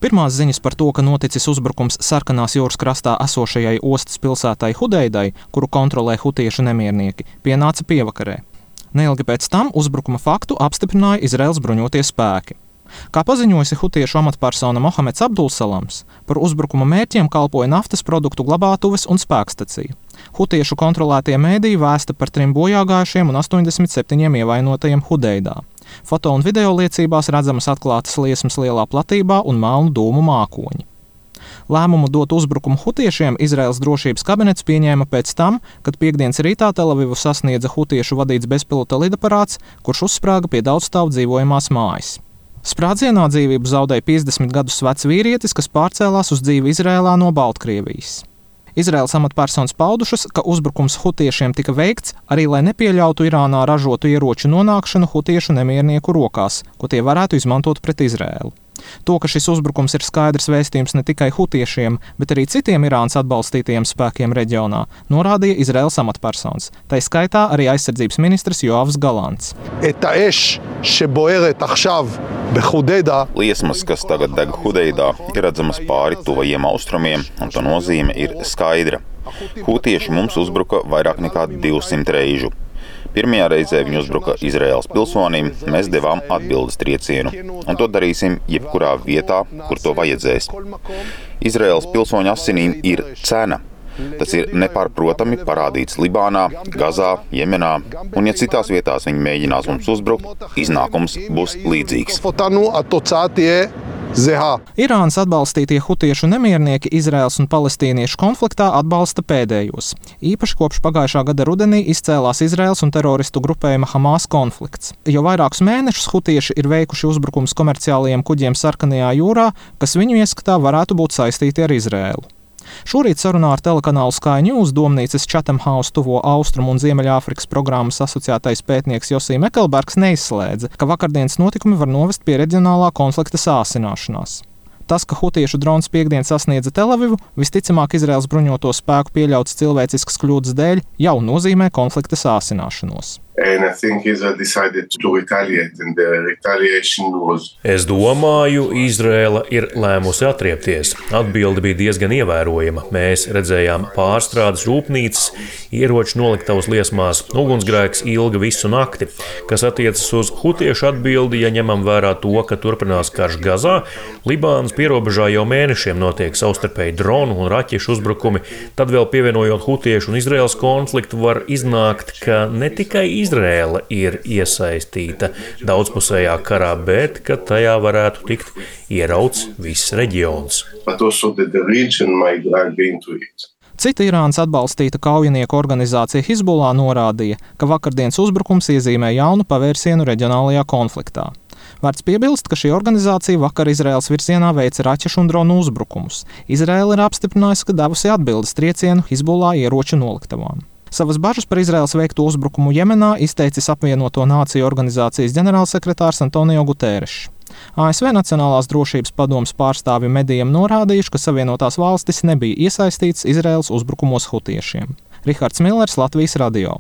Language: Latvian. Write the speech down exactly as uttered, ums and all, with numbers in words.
Pirmās ziņas par to, ka noticis uzbrukums Sarkanās jūras krastā esošajai ostas pilsētai Hudeidai, kuru kontrolē hutiešu nemiernieki, pienāca pievakarē. Neilgi pēc tam uzbrukuma faktu apstiprināja Izraēlas bruņotie spēki. Kā paziņojusi hutiešu amatpersona Mohameds Abdulsalams, par uzbrukuma mērķiem kalpoja naftas produktu glabātuves un spēkstacija. Hutiešu kontrolētie mēdīji vēsta par trim bojāgājušiem un astoņdesmit septiņiem ievainotajiem Hudeidā. Foto un video liecībās redzamas atklātas liesmas lielā platībā un melnu dūmu mākoņi. Lēmumu dot uzbrukumu hutiešiem Izraēlas drošības kabinets pieņēma pēc tam, kad piektdienas rītā Telavivu sasniedza hutiešu vadīts bezpilota lidaparāts, kurš uzsprāga pie daudzstāvu dzīvojamās mājas. Sprādzienā dzīvību zaudēja piecdesmit gadus vecs vīrietis, kas pārcēlās uz dzīvi Izraēlā no Baltkrievijas. Izraēlas amatpersonas paudušas, ka uzbrukums hutiešiem tika veikts arī, lai nepieļautu Irānā ražotu ieroču nonākšanu hutiešu nemiernieku rokās, ko tie varētu izmantot pret Izraēlu. To, ka šis uzbrukums ir skaidrs vēstījums ne tikai hutiešiem, bet arī citiem Irānas atbalstītajiem spēkiem reģionā, norādīja Izraēlas amatpersonas, tai skaitā arī aizsardzības ministrs Joavs Galants. Liesmas, kas tagad deg Hudeidā, ir redzamas pāri tuvajiem austrumiem, un to nozīme ir skaidra. Hutieši mums uzbruka vairāk nekā divsimt reižu. Pirmajā reizē viņi uzbruka Izraēlas pilsonim, mēs devām atbildes triecienu, un to darīsim jebkurā vietā, kur to vajadzēs. Izraēlas pilsoņu asinīm ir cena. Tas ir nepārprotami parādīts Libānā, Gazā, Jemenā, un ja citās vietās viņi mēģinās mums uzbrukt, iznākums būs līdzīgs. Irānas atbalstītie hutiešu nemiernieki Izraēlas un palestīniešu konfliktā atbalsta pēdējos. Īpaši kopš pagājušā gada rudenī izcēlās Izraēlas un teroristu grupējuma Hamas konflikts. Jau vairākus mēnešus hutieši ir veikuši uzbrukums komerciālajiem kuģiem Sarkanajā jūrā, kas viņu ieskatā varētu būt saistīti ar Izraēlu. Šorīt sarunā ar telekanālu Sky News domnīcas Chatham House tuvo Austrumu un Ziemeļāfrikas programmas asociētais pētnieks Josī Mekelbergs neizslēdza, ka vakardienas notikumi var novest pie reģionālā konflikta sāsināšanās. Tas, ka hutiešu drons piekdien sasniedza Telavivu, visticamāk Izraēlas bruņoto spēku pieļautas cilvēciskas kļūdas dēļ, jau nozīmē konflikta sāsināšanos. Es domāju, Izraēla ir lēmusi atriepties. Atbilde bija diezgan ievērojama. Mēs redzējām pārstrādes rūpnīcas, ieroču noliktavas liesmās, ugunsgrēks ilga visu nakti. Kas attiecas uz hutiešu atbildi, ja ņemam vērā to, ka turpinās karš Gazā, Libānas pierobežā jau mēnešiem notiek savstarpēji dronu un raķešu uzbrukumi, tad vēl pievienojot hutiešu un Izraēlas konfliktu var iznākt, ka ne tikai Izraēla ir iesaistīta daudzpusējā karā, bet ka tajā varētu tikt ierauts viss reģions. Cita Irānas atbalstīta kaujinieku organizācija Hizbullah norādīja, ka vakardienas uzbrukums iezīmē jaunu pavērsienu reģionālajā konfliktā. Vērts piebilst, ka šī organizācija vakar Izraēlas virzienā veica raķešu un dronu uzbrukumus. Izraēla ir apstiprinājusi, ka devusi atbildes triecienu Hizbullah ieroču noliktavām. Savas bažas par Izraēlas veikto uzbrukumu Jemenā izteicis apvienoto nāciju organizācijas ģenerālsekretārs Antonio Guterres. A S V Nacionālās drošības padomes pārstāvji medijiem norādījuši, ka Savienotās valstis nebija iesaistītas Izraēlas uzbrukumos hutiešiem. Rihards Millers, Latvijas radio.